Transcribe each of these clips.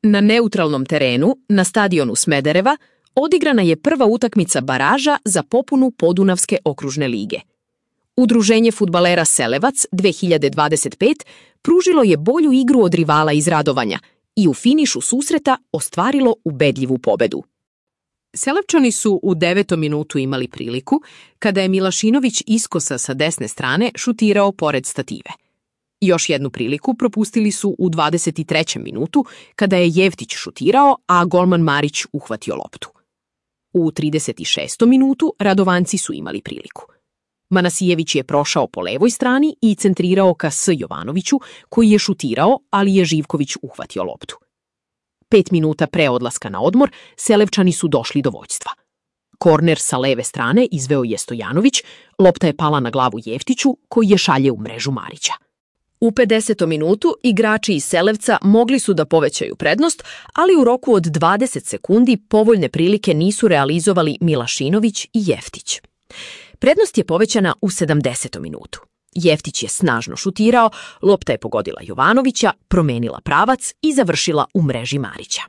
Na neutralnom terenu, na stadionu Smedereva, odigrana je prva utakmica baraža za popunu Podunavske okružne lige. Udruženje fudbalera Selevac 2025 pružilo je bolju igru od rivala iz Radovanja i u finišu susreta ostvarilo ubedljivu pobedu. Selevčani su u 9. minutu imali priliku kada je Milašinović iskosa sa desne strane šutirao pored stative. Još jednu priliku propustili su u 23. minutu kada je Jeftić šutirao, a golman Marić uhvatio loptu. U 36. minutu Radovanci su imali priliku. Manasijević je prošao po levoj strani i centrirao ka S. Jovanoviću, koji je šutirao, ali je Živković uhvatio loptu. 5 minuta pre odlaska na odmor, Selevčani su došli do vođstva. Korner sa leve strane izveo je Stojanović, lopta je pala na glavu Jeftiću, koji je šalje u mrežu Marića. U 50. minutu igrači iz Selevca mogli su da povećaju prednost, ali u roku od 20 sekundi povoljne prilike nisu realizovali Milašinović i Jeftić. Prednost je povećana u 70. minutu. Jeftić je snažno šutirao, lopta je pogodila Jovanovića, promenila pravac i završila u mreži Marića.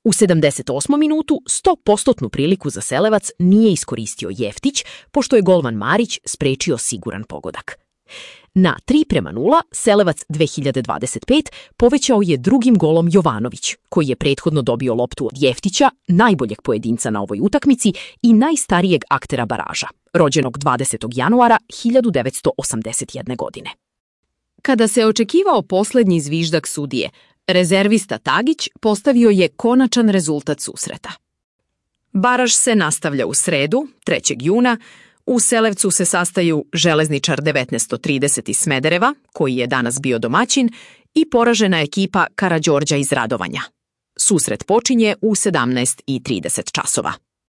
U 78. minutu 100% priliku za Selevac nije iskoristio Jeftić, pošto je golman Marić sprečio siguran pogodak. Na 3:0 Selevac 2025 povećao je drugim golom Jovanović, koji je prethodno dobio loptu od Jeftića, najboljeg pojedinca na ovoj utakmici i najstarijeg aktera baraža, rođenog 20. januara 1981. godine. Kada se očekivao poslednji zviždak sudije, rezervista Tagić postavio je konačan rezultat susreta. Baraž se nastavlja u sredu, 3. juna. U Selevcu se sastaju Železničar 1930 iz Smedereva, koji je danas bio domaćin, i poražena ekipa Karađorđa iz Radovanja. Susret počinje u 17:30 časova.